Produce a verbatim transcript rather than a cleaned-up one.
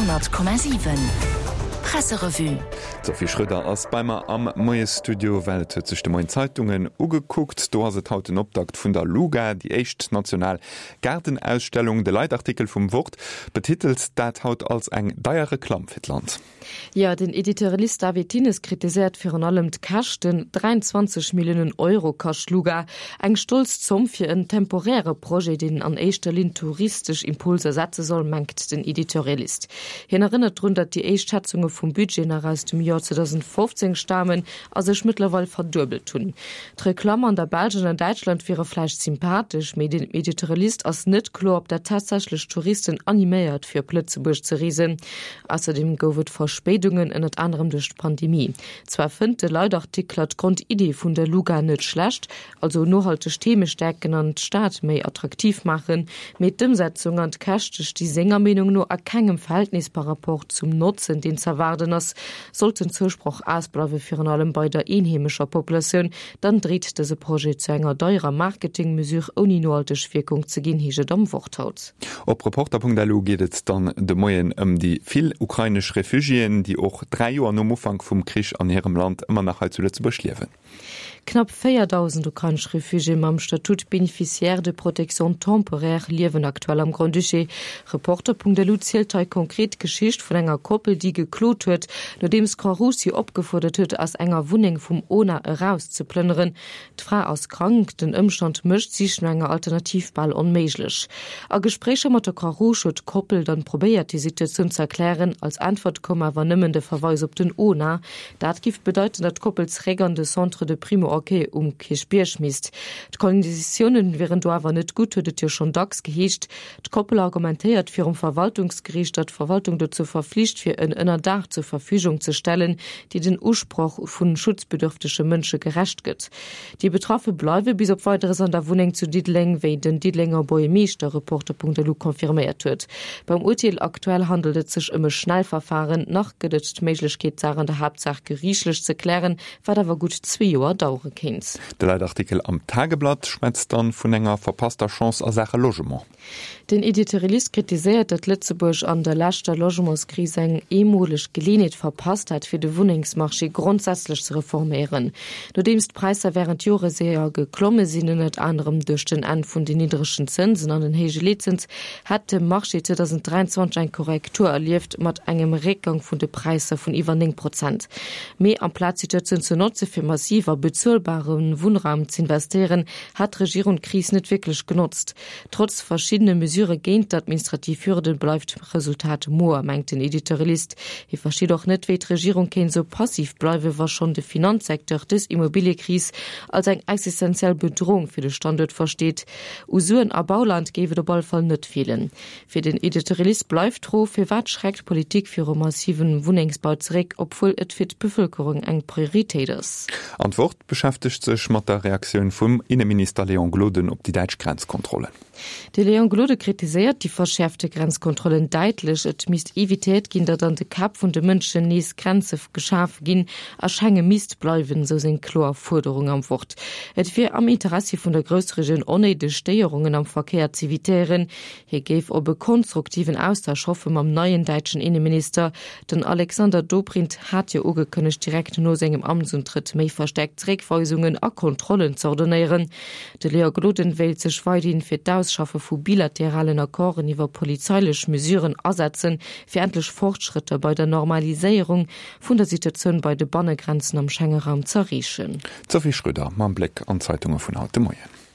Honnert Komma siwen Presserevue. D'Sophie Schröder ass bei mer am Moiesstudio, well et huet sech de Moien d'Zeitungen ugekuckt. Do ass et haut den Optakt vun der Luga, déi éischt national Gaardenausstellung. De Leitartikel vum Wort betitelt dat haut als eng deier Reklamm fir d'Land. Jo, den Editorialist David Thines kritiséiert virun allem d'Käschten, dräianzwanzeg Milliounen Euro kascht d'Luga, eng stolz Zomm fir en temporäre Projet, deen an éischter Linn touristesch Impulser setze soll, mengt den Editorialist. Hien erënnert drun, datt déi éischt Schätzunge vum Budget nach aus dem Joer zweedausendfofzéng stamen a sech mëttlerweil verduebelt hunn. D'Reklamm an der Belsch an an Däitschland wiere vläicht sympathesch, mee dem Editorialist ass net kloer, ob dat tatsächlech Touristen animéiert, fir op Lëtzebuerg ze reesen. Ausserdeem gouf et Verspéidungen, ënnert anerem duerch d'Pandemie. Zwar fënnt de Leitartikler d'Grondidee vun der Luga net schlecht, also nohalteg Theme stäerken an d'Stad méi attraktiv maachen, mee d'Ëmsetzung an d'Käschte sti senger Meenung no a kengem Verhältnis par rapport zum Notzen, deen z'erwaarden ass. Sollt den Zousproch ausbleiwen, virun allem bei der eenheemescher Populatioun, dann dreet dëse Projet zu enger deierer Marketing-Mesure ouni nohalteg Wierkung ze ginn, heescht et am Wort haut. Op Reporter.lu geet et dann de Moien ëm déi vill ukrainesch Refugiéen, déi och dräi Joer nom Ufank vum Krich an hirem Land ëmmer nach hei zu Lëtzebuerg liewen. Knapp véierdausend ukrainesch Refugiéë mam Statut bénéficiaire de protection temporaire liewen aktuell am Grand-Duché. Reporter.lu zielt hei konkret d'Geschicht vun enger Koppel, déi geklot huet, nodeems d'Croix-Rouge si opgefuerdert huet, aus enger Wunneng vum ona erauszeplënneren. D'Fra ass krank, den Ëmstand mécht d'Sich no enger Alternativ bal onméiglech. A Gespréicher mat der Croix-Rouge huet d'Koppel dann probéiert, déi Situatioun ze erklären. Als Äntwert koum awer nëmmen de Verweis op den ona. Dat giff bedeiten, datt d'Koppel zeréck an de Centre de Primo-Accueil um Kierchbierg misst. D'Konditiounen wieren do awer net gutt, huet et jo schonn dacks geheescht. D'Koppel argumentéiert virum Verwaltungsgeriicht, datt d'Verwaltung dozou verflicht wier, en Ënnerdaach zur Verfügung ze stellen, déi den Usproch vu schutzbedürftege Mënsche gerecht gëtt. Déi Betraffe bleiwe bis op Weideres an der Wunneng zu Diddeleng, wéi den Diddelenger Buergermeeschter Reporter.lu confirméiert huet. Beim Urteel aktuell handelt et sech ëm e Schnellverfahren. Nach gëtt et d'Méiglechkeet, d'Saach an der Haaptsaach geriichtlech ze klären, wat awer gutt zwee Joer dauere kéint. De Leitartikel am Tageblatt schwätzt dann vun enger verpasster Chance a Saache Logement. Den Editorialist kritiséiert, datt Lëtzebuerg an der leschter Logementskris eng eemoleg Geleeënheet verpasst hätt, fir de Wunnengsmarché grondsätzlech ze reforméieren. Nodeems d'Präisser wärend Jore séier geklomme sinn, ënnert anerem duerch den Enn vun den niddregen Zënsen an den héije Leetzëns, hätt de Marché zweedausenddräianzwanzeg eng Korrektur erlieft mat engem Réckgang vun de Präisser vun iwwer néng Prozent. Mee amplaz d'Situatioun ze notze fir massiv a bezuelbare Wunnraum z'investéieren, hat d'Regierung d'Kris net wierklech genotzt. Trotz verschiddene Mesurë géint d'administrativ Hürden bleift d'Resultat moer, mengt den Editorialist. Hie versteet och net, wéi d'Regierung kéint esou passiv bleiwen, wa schonn de Finanzsecteur dës Immobiliëkris als eng existenziell Bedroung fir de Standuert versteet. U Suen a Bauland géif et op alle Fall net feelen. Fir den Editorialist bleift d'Fro, Firwat schreckt d'Politik viru massivem Wunnengsbau zeréck, obwuel et fir d'Bevëlkerung eng Prioritéit ass? An d'Wort beschäftegt sech mat der Reaktioun vum Inneminister Léon Gloden op déi däitsch Grenzkontrollen. De Léon Gloden kritiséiert déi verschäerfte Grenzkontrollen däitlech. Et misst evitéiert ginn, datt an de Käpp vun de Mënschen nees Grenze geschaf ginn a Schengen misst bleiwen, esou seng kloer Fuerderung am Wort. Et wier am Interessi vun der Groussregioun onnéideg Stéierungen am Verkéier z'evitéieren. Hie géif op e konstruktiven Austausch hoffe mam neien däitschen Inneminister. Den Alexander Dobrindt hat jo ugekënnegt, direkt no sengem Amtsuntrëtt méi verstäerkt Zeréckweisungen a Kontrollen z'ordonéieren. De Léon Gloden wéilt sech weiderhin fir d'Ausschaffe vu bilateralen Accorden iwwer polizeilech Mesuren asetzen, fir endlech Fortschrëtter bei der Normaliséierung vun der Situatioun bei de Bannegrenzen am Schengeraum z'erreechen. D'Sophie Schröder mam Bléck an d'Zeitunge vun haut de Moien.